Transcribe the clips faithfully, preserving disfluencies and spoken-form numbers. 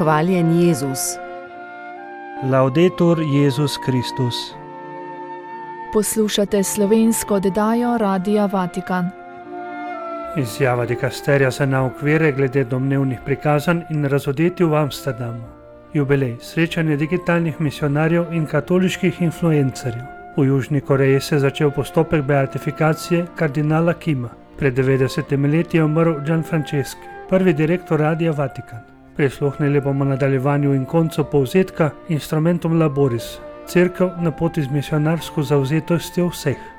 Hvaljen Jezus. Laudetur Jezus Kristus. Poslušate slovensko oddajo Radia Vatikan. Izjava dikasterija za naukvire glede domnevnih prikazanj in razodetij v Amsterdamu. Jubilej, srečanje digitalnih misionarjev in katoliških influencerjev. V Južni Koreji se je začel postopek beatifikacije kardinala Kima. Pred devetdesetimi leti je umrl Gianfranceschi, prvi direktor Radia Vatikan. Prisluhnili bomo nadaljevanju in koncu povzetka Instrumentum Laboris, Cerkev na poti z misionarsko zavzetostjo vseh.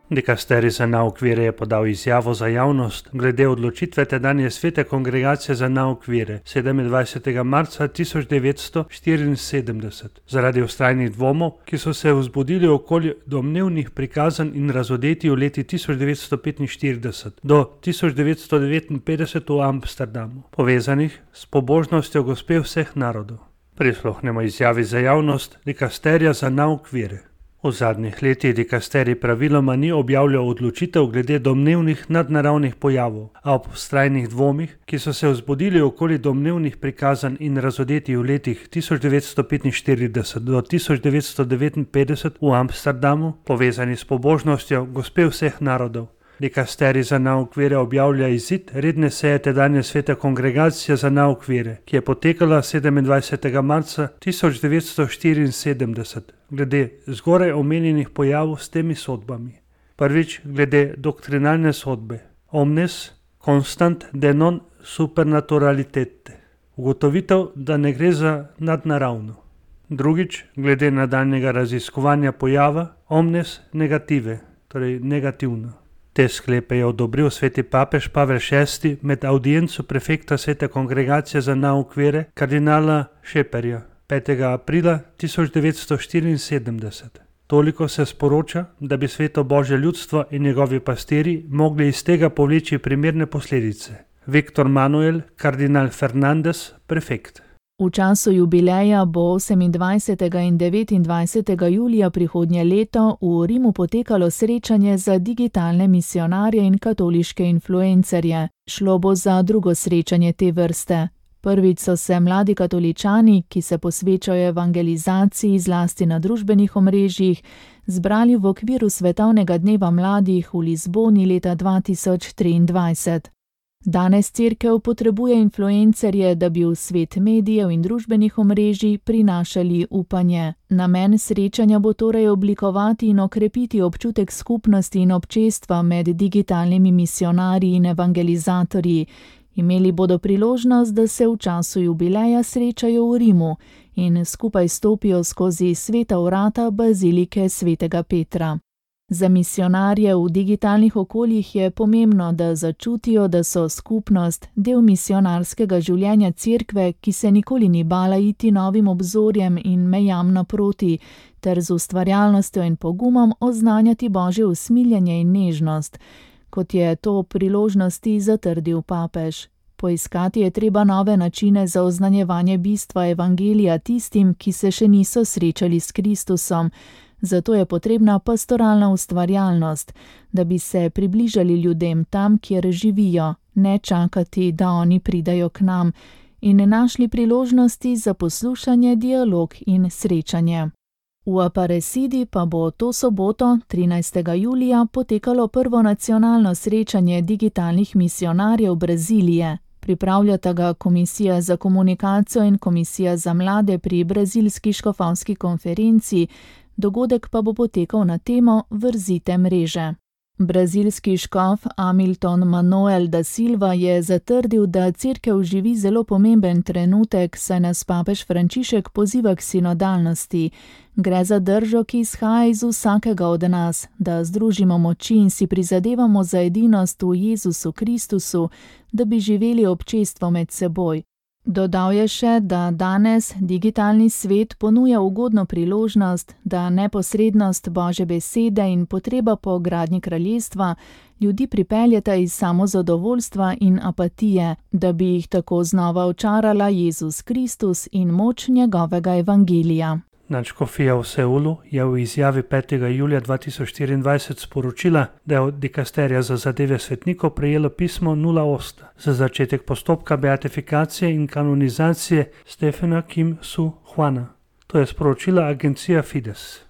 Dikasterij za nauk vere je podal izjavo za javnost glede odločitve tedanje svete kongregacije za nauk vere sedemindvajsetega marca tisoč devetsto štiriinsedemdeset zaradi vztrajnih dvomov, ki so se vzbudili okoli domnevnih prikazanj in razodetij v leti tisoč devetsto petinštirideset do tisoč devetsto devetinpetdeset v Amsterdamu, povezanih s pobožnostjo Gospe vseh narodov. Prisluhnemo izjavi za javnost dikasterija za nauk vere. V zadnjih letih dikasterij praviloma ni objavljal odločitev glede domnevnih nadnaravnih pojavov, a ob vztrajnih dvomih, ki so se vzbudili okoli domnevnih prikazanj in razodetij v letih tisoč devetsto petinštirideset do tisoč devetsto devetinpetdeset v Amsterdamu, povezani s pobožnostjo Gospe vseh narodov, dikasterij za nauk vere objavlja izid redne seje tedanje svete kongregacije za nauk vere, ki je potekala sedemindvajsetega marca tisoč devetsto štiriinsedemdeset, glede zgoraj omenjenih pojavov s temi sodbami. Prvič, glede doktrinalne sodbe omnes constant de non supernaturalitete, ugotovitev, da ne gre za nadnaravno. Drugič, glede nadaljnjega raziskovanja pojava omnes negative, torej negativno. Te sklepe je odobril sveti papež Pavel šesti med audienco prefekta svete kongregacije za nauk vere kardinala Šeperja petega aprila tisoč devetsto štiriinsedemdeset. Toliko se sporoča, da bi sveto Božje ljudstvo in njegovi pastirji mogli iz tega povleči primerne posledice. Viktor Manuel, kardinal Fernandez, prefekt. V času jubileja bo osemindvajsetega in devetindvajsetega julija prihodnje leto v Rimu potekalo srečanje za digitalne misionarje in katoliške influencerje. Šlo bo za drugo srečanje te vrste. Prvič so se mladi katoličani, ki se posvečajo evangelizaciji zlasti na družbenih omrežjih, zbrali v okviru Svetovnega dneva mladih v Lizboni leta dva tisoč triindvajset. Danes Cerkev potrebuje influencerje, da bi v svet medijev in družbenih omrežij prinašali upanje. Namen srečanja bo torej oblikovati in okrepiti občutek skupnosti in občestva med digitalnimi misionarji in evangelizatorji. Imeli bodo priložnost, da se v času jubileja srečajo v Rimu in skupaj stopijo skozi sveta vrata bazilike svetega Petra. Za misionarje v digitalnih okoljih je pomembno, da začutijo, da so skupnost, del misionarskega življenja Cerkve, ki se nikoli ni bala iti novim obzorjem in mejam naproti, ter z ustvarjalnostjo in pogumom oznanjati Božje usmiljenje in nežnost, kot je to priložnosti zatrdil papež. Poiskati je treba nove načine za oznanjevanje bistva evangelija tistim, ki se še niso srečali s Kristusom. Zato je potrebna pastoralna ustvarjalnost, da bi se približali ljudem tam, kjer živijo, ne čakati, da oni pridajo k nam, in ne našli priložnosti za poslušanje, dialog in srečanje. V Aparecidi pa bo to soboto, trinajstega julija, potekalo prvo nacionalno srečanje digitalnih misionarjev Brazilije. Pripravljata ga Komisija za komunikacijo in Komisija za mlade pri Brazilski škofovski konferenci, dogodek pa bo potekal na temo Vrzite mreže. Brazilski škof Hamilton Manuel da Silva je zatrdil, da Cerkev živi zelo pomemben trenutek, saj nas papež Frančišek poziva k sinodalnosti. Gre za držo, ki izhaja iz vsakega od nas, da združimo moči in si prizadevamo za edinost v Jezusu Kristusu, da bi živeli občestvo med seboj. Dodal je še, da danes digitalni svet ponuja ugodno priložnost, da neposrednost Božje besede in potreba po gradnji kraljestva ljudi pripeljeta iz samozadovoljstva in apatije, da bi jih tako znova očarala Jezus Kristus in moč njegovega evangelija. Nadškofija v Seulu je v izjavi petega julija dva tisoč štiriindvajset sporočila, da je od dikasterija za zadeve svetnikov prejelo pismo nula osem za začetek postopka beatifikacije in kanonizacije Stefana Kim Su Hwana. To je sporočila agencija Fides.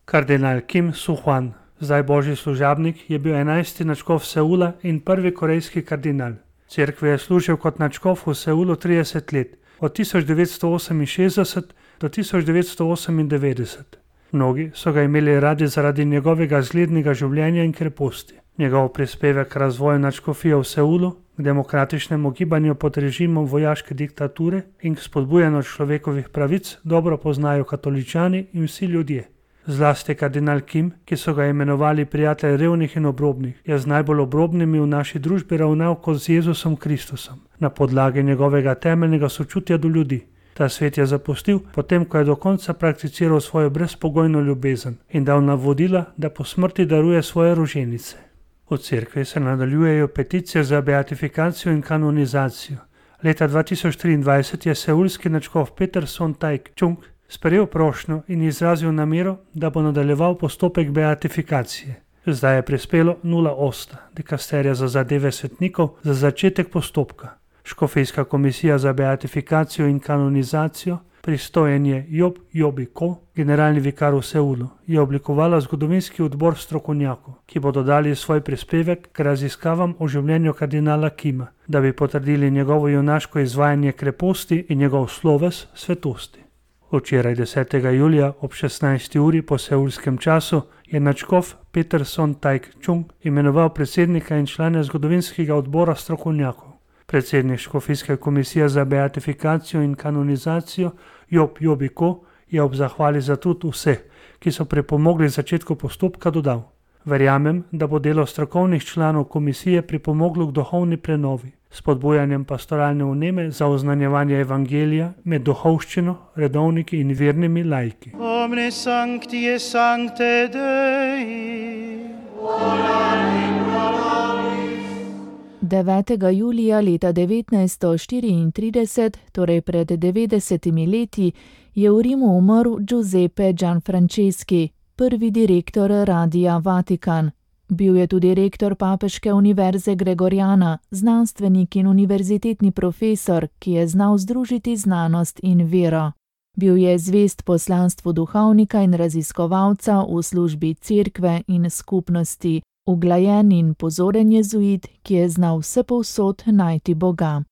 Kardinal Kim Su Hwan, zdaj božji služabnik, je bil enajsti nadškof Seula in prvi korejski kardinal. Cerkvi je služil kot nadškof v Seulu trideset let, od tisoč devetsto oseminšestdeset do tisoč devetsto osemindevetdeset. Mnogi so ga imeli radi zaradi njegovega zglednega življenja in kreposti. Njegov prispevek k razvoju nadškofije v Seulu, k demokratičnemu gibanju pod režimom vojaške diktature in k spodbujanju človekovih pravic dobro poznajo katoličani in vsi ljudje. Zlasti kardinal Kim, ki so ga imenovali prijatelj revnih in obrobnih, je z najbolj obrobnimi v naši družbi ravnal kot z Jezusom Kristusom, na podlagi njegovega temeljnega sočutja do ljudi. Ta svet je zapustil, potem ko je do konca prakticiral svojo brezpogojno ljubezen in dal navodila, da po smrti daruje svoje roženice. V cerkvi se nadaljujejo peticije za beatifikacijo in kanonizacijo. Leta dva tisoč triindvajset je seulski nadškof Peter Son Taek-chung sprejel prošnjo in izrazil namero, da bo nadaljeval postopek beatifikacije. Zdaj je prispelo nula osem dikasterija za zadeve svetnikov za začetek postopka. Škofijska komisija za beatifikacijo in kanonizacijo, pristojen je Job Jobi Ko, generalni vikar v Seulu, je oblikovala zgodovinski odbor strokovnjakov, ki bodo dali svoj prispevek k raziskavam o življenju kardinala Kima, da bi potrdili njegovo junaško izvajanje kreposti in njegov sloves svetosti. Včeraj desetega julija ob šestnajsti uri po seulskem času je nadškof Peter Son Taek-chung imenoval predsednika in člane zgodovinskega odbora strokovnjakov. Predsednik Škofijske komisije za beatifikacijo in kanonizacijo Job Jobi Ko je ob zahvali za trud vseh, ki so pripomogli začetku postopka, dodal: Verjamem, da bo delo strokovnih članov komisije pripomoglo k duhovni prenovi, spodbujanjem pastoralne vneme za oznanjevanje evangelija med duhovščino, redovniki in vernimi laiki. Omne sancti et sancte Dei. devetega julija leta devetnajststo štiriintrideset, torej pred devetdesetimi leti, je v Rimu umrl Giuseppe Gianfranceschi, prvi direktor Radia Vatikan. Bil je tudi rektor Papeške univerze Gregoriana, znanstvenik in univerzitetni profesor, ki je znal združiti znanost in vero. Bil je zvest poslanstvu duhovnika in raziskovalca v službi cerkve in skupnosti, uglajen in pozoren jezuit, ki je znal vsepovsod najti Boga.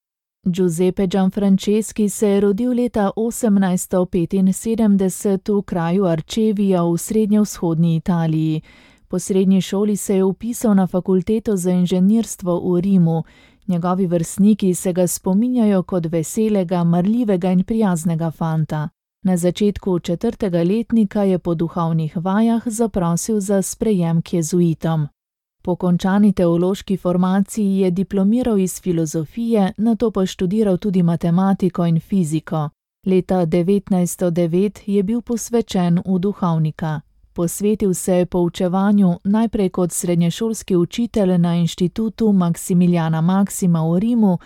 Giuseppe Gianfranceschi se je rodil leta osemnajststo petinsedemdeset v kraju Arčevija v srednjevzhodni Italiji. Po srednji šoli se je vpisal na fakulteto za inženirstvo v Rimu. Njegovi vrstniki se ga spominjajo kot veselega, marljivega in prijaznega fanta. Na začetku četrtega letnika je po duhovnih vajah zaprosil za sprejem k jezuitom. Po končani teološki formaciji je diplomiral iz filozofije, nato pa študiral tudi matematiko in fiziko. Leta devetnajststo devet je bil posvečen v duhovnika. Posvetil se je poučevanju najprej kot srednješolski učitelj na inštitutu Maksimiljana Maksima v Rimu,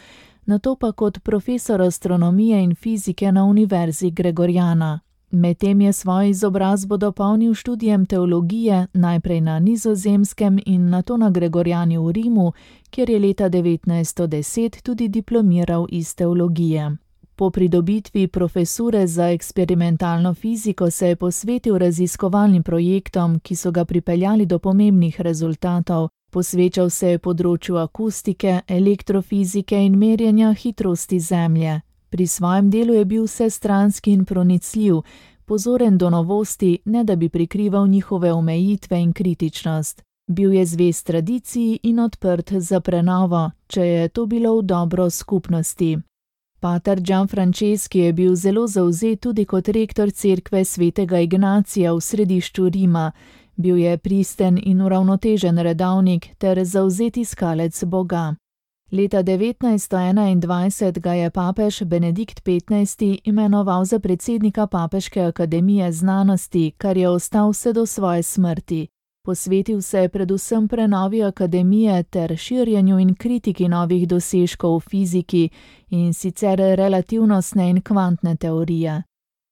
nato pa kot profesor astronomije in fizike na univerzi Gregoriana. Medtem je svojo izobrazbo dopolnil študijem teologije najprej na Nizozemskem in nato na Gregoriani v Rimu, kjer je leta devetnajststo deset tudi diplomiral iz teologije. Po pridobitvi profesure za eksperimentalno fiziko se je posvetil raziskovalnim projektom, ki so ga pripeljali do pomembnih rezultatov. Posvečal se je področju akustike, elektrofizike in merjenja hitrosti Zemlje. Pri svojem delu je bil vsestranski in pronicljiv, pozoren do novosti, ne da bi prikrival njihove omejitve in kritičnost. Bil je zvest tradiciji in odprt za prenovo, če je to bilo v dobro skupnosti. Pater Gianfranceschi je bil zelo zavzet tudi kot rektor cerkve svetega Ignacija v središču Rima. Bil je pristen in uravnotežen redovnik ter zavzet iskalec Boga. Leta devetnajststo enaindvajset ga je papež Benedikt petnajsti imenoval za predsednika Papeške akademije znanosti, kar je ostal vse do svoje smrti. Posvetil se je predvsem prenovi akademije ter širjenju in kritiki novih dosežkov v fiziki, in sicer relativnostne in kvantne teorije.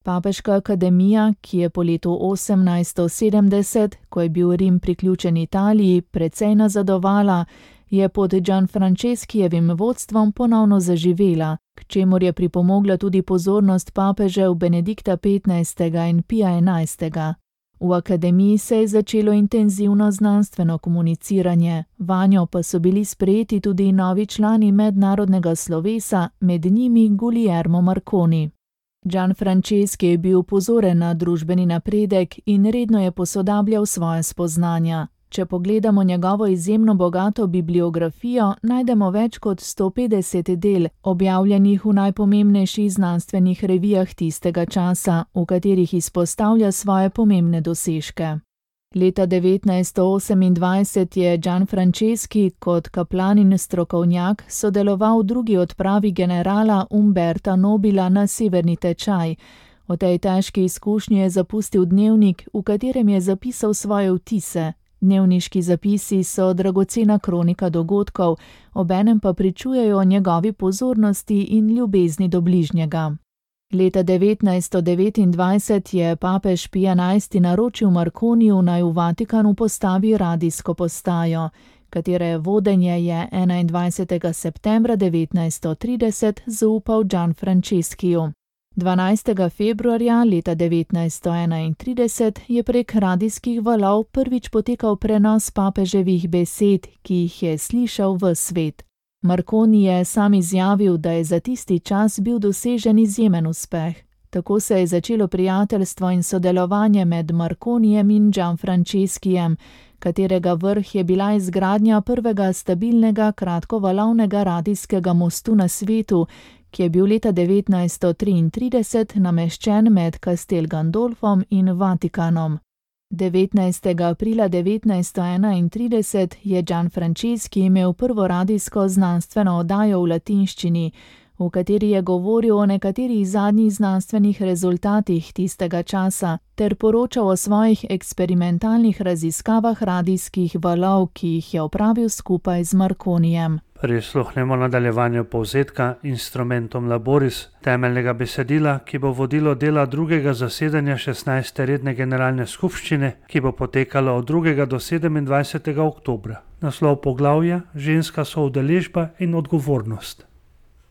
Papeška akademija, ki je po letu osemnajststo sedemdeset, ko je bil Rim priključen Italiji, precej nazadovala, je pod Gianfranceskijevim vodstvom ponovno zaživela, k čemur je pripomogla tudi pozornost papežev Benedikta petnajstega in Pija enajstega. V akademiji se je začelo intenzivno znanstveno komuniciranje, vanjo pa so bili sprejeti tudi novi člani mednarodnega slovesa, med njimi Guglielmo Marconi. Gianfranceschi je bil pozoren na družbeni napredek in redno je posodabljal svoje spoznanja. Če pogledamo njegovo izjemno bogato bibliografijo, najdemo več kot sto petdeset del, objavljenih v najpomembnejših znanstvenih revijah tistega časa, v katerih izpostavlja svoje pomembne dosežke. Leta devetnajststo osemindvajset je Gianfranceschi kot kaplan in strokovnjak sodeloval v drugi odpravi generala Umberta Nobila na severni tečaj. O tej težki izkušnji je zapustil dnevnik, v katerem je zapisal svoje vtise. Dnevniški zapisi so dragocena kronika dogodkov, obenem pa pričujejo o njegovi pozornosti in ljubezni do bližnjega. Leta devetnajststo devetindvajset je papež Pij enajsti naročil Marconiju, naj v Vatikanu postavi radijsko postajo, katere vodenje je enaindvajsetega septembra devetnajststo trideset zaupal Gianfranceschiju. dvanajstega februarja leta devetnajststo enaintrideset je prek radijskih valov prvič potekal prenos papeževih besed, ki jih je slišal ves svet. Marconi je sam izjavil, da je za tisti čas bil dosežen izjemen uspeh. Tako se je začelo prijateljstvo in sodelovanje med Marconijem in Gianfranceskijem, katerega vrh je bila izgradnja prvega stabilnega kratkovalovnega radijskega mostu na svetu, ki je bil leta devetnajststo triintrideset nameščen med Castel Gandolfom in Vatikanom. devetnajstega aprila devetnajststo enaintrideset je Gianfranceschi imel prvo radijsko znanstveno oddajo v latinščini, v kateri je govoril o nekaterih zadnjih znanstvenih rezultatih tistega časa ter poročal o svojih eksperimentalnih raziskavah radijskih valov, ki jih je opravil skupaj z Marconijem. Prisluhnemo nadaljevanju povzetka Instrumentum Laboris, temeljnega besedila, ki bo vodilo dela drugega zasedanja šestnajste redne generalne skupščine, ki bo potekalo od drugega do sedemindvajsetega oktobra. Naslov poglavja: Ženska soudeležba in odgovornost.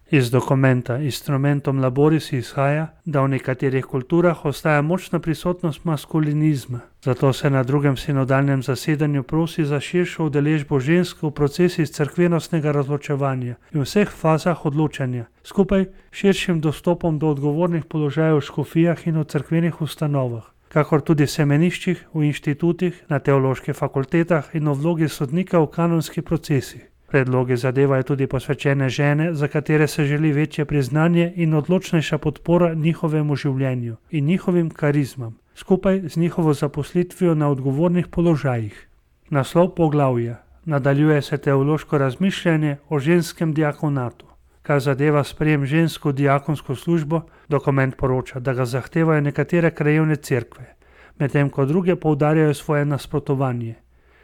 Iz dokumenta Instrumentum Laboris izhaja, da v nekaterih kulturah ostaja močna prisotnost maskulinizma. Zato se na drugem sinodalnem zasedanju prosi za širšo udeležbo žensk v procesih cerkvenostnega razločevanja in vseh fazah odločanja, skupaj širšim dostopom do odgovornih položajev v škofijah in v cerkvenih ustanovah, kakor tudi semeniščih, v inštitutih, na teoloških fakultetah in v vlogi sodnika v kanonskih procesih. Predlogi zadevajo tudi posvečene žene, za katere se želi večje priznanje in odločnejša podpora njihovemu življenju in njihovim karizmam, skupaj z njihovo zaposlitvijo na odgovornih položajih. Naslov poglavja: Nadaljuje se teološko razmišljanje o ženskem diakonatu. Kar zadeva sprejem žensko diakonsko službo, dokument poroča, da ga zahtevajo nekatere krajevne cerkve, medtem ko druge poudarjajo svoje nasprotovanje.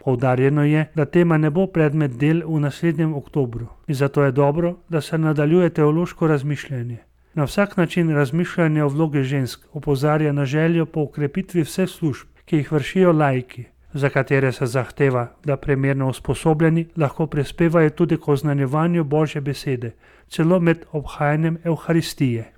Poudarjeno je, da tema ne bo predmet del v naslednjem oktobru in zato je dobro, da se nadaljuje teološko razmišljanje. Na vsak način razmišljanje o vlogi žensk opozarja na željo po okrepitvi vseh služb, ki jih vršijo laiki, za katere se zahteva, da primerno usposobljeni lahko prispevajo tudi k oznanjevanju Božje besede, celo med obhajanjem Evharistije.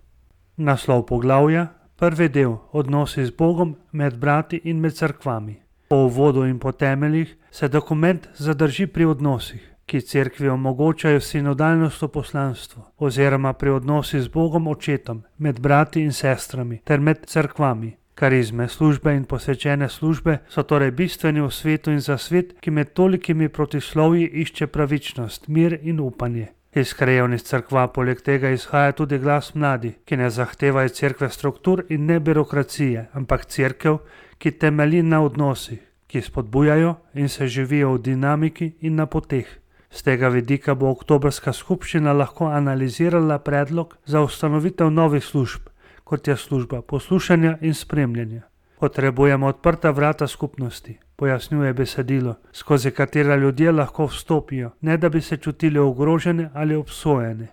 Naslov poglavja: Prvi del: Odnosi z Bogom, med brati in med cerkvami. Po uvodu in po temeljih se dokument zadrži pri odnosih, ki cerkvi omogočajo sinodalnost v poslanstvu, oziroma pri odnosih z Bogom Očetom, med brati in sestrami ter med cerkvami. Karizme, službe in posvečene službe so torej bistveni v svetu in za svet, ki med tolikimi protislovji išče pravičnost, mir in upanje. Iz krajevnih cerkva poleg tega izhaja tudi glas mladih, ki ne zahtevajo cerkve struktur in ne birokracije, ampak cerkev, ki temelji na odnosih, ki spodbujajo in se živijo v dinamiki in na poteh. Z tega vidika bo oktobrska skupščina lahko analizirala predlog za ustanovitev novih služb, kot je služba poslušanja in spremljanja. Potrebujemo odprta vrata skupnosti, pojasnjuje besedilo, skozi katera ljudje lahko vstopijo, ne da bi se čutili ogrožene ali obsojene.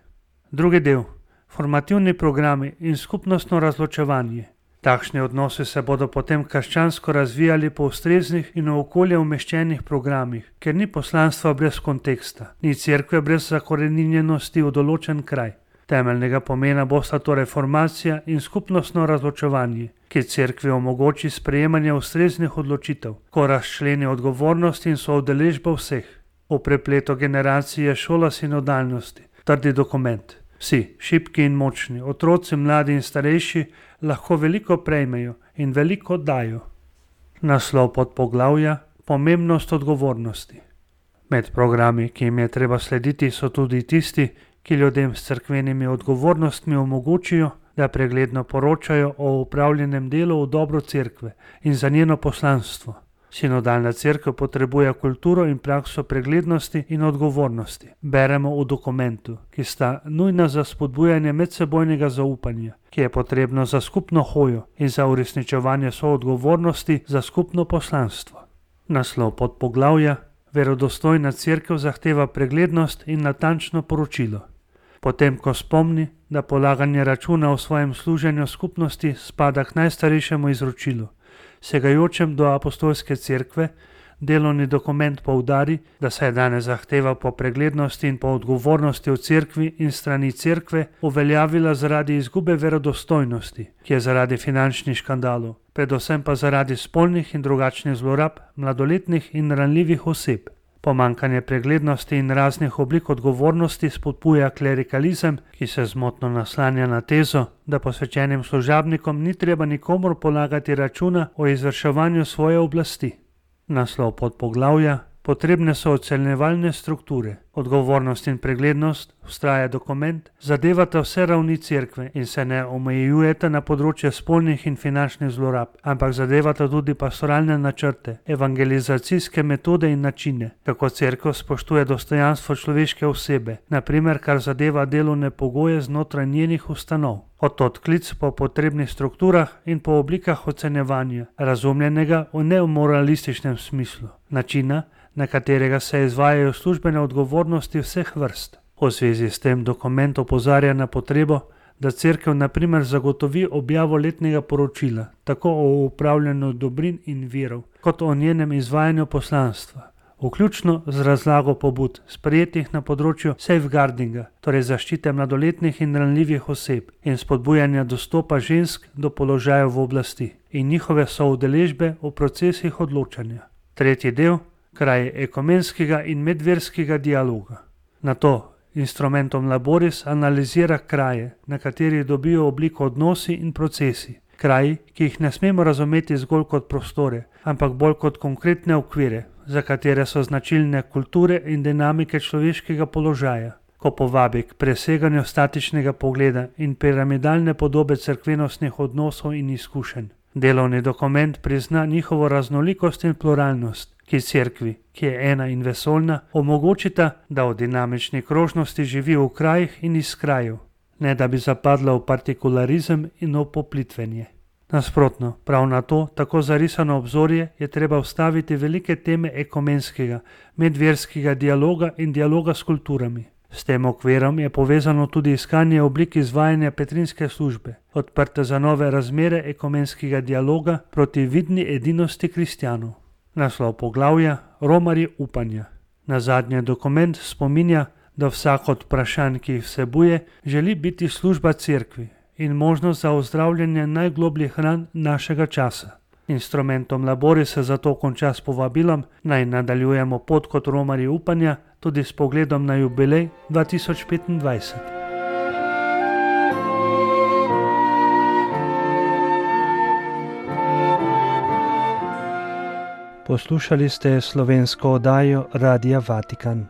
Drugi del: Formativni programi in skupnostno razločevanje. Takšni odnosi se bodo potem krščansko razvijali po ustreznih in v okolje umeščenih programih, ker ni poslanstva brez konteksta, ni cerkve brez zakoreninjenosti v določen kraj. Temeljnega pomena bosta torej formacija in skupnostno razločevanje, ki cerkvi omogoči sprejemanje ustreznih odločitev, ko razčleni odgovornost in soudeležbo vseh. V prepletu generacij je šola sinodalnosti, trdi dokument. Vsi, šibki in močni, otroci, mladi in starejši, lahko veliko prejmejo in veliko dajo. Naslov podpoglavja: Pomembnost odgovornosti. Med programi, ki jim je treba slediti, so tudi tisti, ki ljudem s cerkvenimi odgovornostmi omogočijo, da pregledno poročajo o upravljenem delu v dobro cerkve in za njeno poslanstvo. Sinodalna cerkev potrebuje kulturo in prakso preglednosti in odgovornosti. Beremo v dokumentu, ki sta nujna za spodbujanje medsebojnega zaupanja, ki je potrebno za skupno hojo in za uresničevanje soodgovornosti za skupno poslanstvo. Naslov podpoglavja: Verodostojna cerkev zahteva preglednost in natančno poročilo. Potem, ko spomni, da polaganje računa o svojem služenju skupnosti spada k najstarejšemu izročilu, segajočem do apostolske cerkve, delovni dokument poudari, da se je danes zahteva po preglednosti in po odgovornosti v cerkvi in strani cerkve uveljavila zaradi izgube verodostojnosti, ki je zaradi finančnih škandalov, predvsem pa zaradi spolnih in drugačnih zlorab mladoletnih in ranljivih oseb. Pomanjkanje preglednosti in raznih oblik odgovornosti spodbuja klerikalizem, ki se zmotno naslanja na tezo, da posvečenim služabnikom ni treba nikomur polagati računa o izvrševanju svoje oblasti. Naslov podpoglavja: Potrebne so ocenjevalne strukture. Odgovornost in preglednost, vztraja dokument, zadevata vse ravni cerkve in se ne omejujeta na področje spolnih in finančnih zlorab, ampak zadevata tudi pastoralne načrte, evangelizacijske metode in načine, kako cerkev spoštuje dostojanstvo človeške osebe, na primer kar zadeva delovne pogoje znotraj njenih ustanov. Od odklic po potrebnih strukturah in po oblikah ocenjevanja, razumljenega v neomoralističnem smislu, načina, na katerega se izvajajo službene odgovornosti vseh vrst. V zvezi s tem dokument opozarja na potrebo, da cerkev na primer zagotovi objavo letnega poročila, tako o upravljanju dobrin in virov, kot o njenem izvajanju poslanstva, vključno z razlago pobud, sprejetih na področju safeguardinga, torej zaščite mladoletnih in ranljivih oseb in spodbujanja dostopa žensk do položajev v oblasti in njihove soudeležbe v procesih odločanja. Tretji del: kraj ekumenskega in medverskega dialoga. Nato instrumentom laboris analizira kraje, na katerih dobijo obliko odnosi in procesi. Kraji, ki jih ne smemo razumeti zgolj kot prostore, ampak bolj kot konkretne okvire, za katere so značilne kulture in dinamike človeškega položaja. Ko povabi k preseganju statičnega pogleda in piramidalne podobe cerkvenostnih odnosov in izkušenj. Delovni dokument prizna njihovo raznolikost in pluralnost, ki cerkvi, ki je ena in vesoljna, omogočita, da v dinamični krožnosti živi v krajih in iz krajev, ne da bi zapadla v partikularizem in v poplitvenje. Nasprotno, prav na to tako zarisano obzorje je treba vstaviti velike teme ekumenskega, medverskega dialoga in dialoga s kulturami. S tem okvirom je povezano tudi iskanje oblik izvajanja petrinske službe, odprte za nove razmere ekumenskega dialoga proti vidni edinosti kristjanov. Naslov poglavja: Romarji upanja. Nazadnje dokument spominja, da vsak od vprašanj, ki jih vsebuje, želi biti služba cerkvi in možnost za ozdravljanje najglobljih ran našega časa. Instrumentom labori se zato konča s povabilom, naj nadaljujemo pot kot romarji upanja, tudi s pogledom na jubilej dva tisoč petindvajset. Poslušali ste slovensko oddajo Radia Vatikan.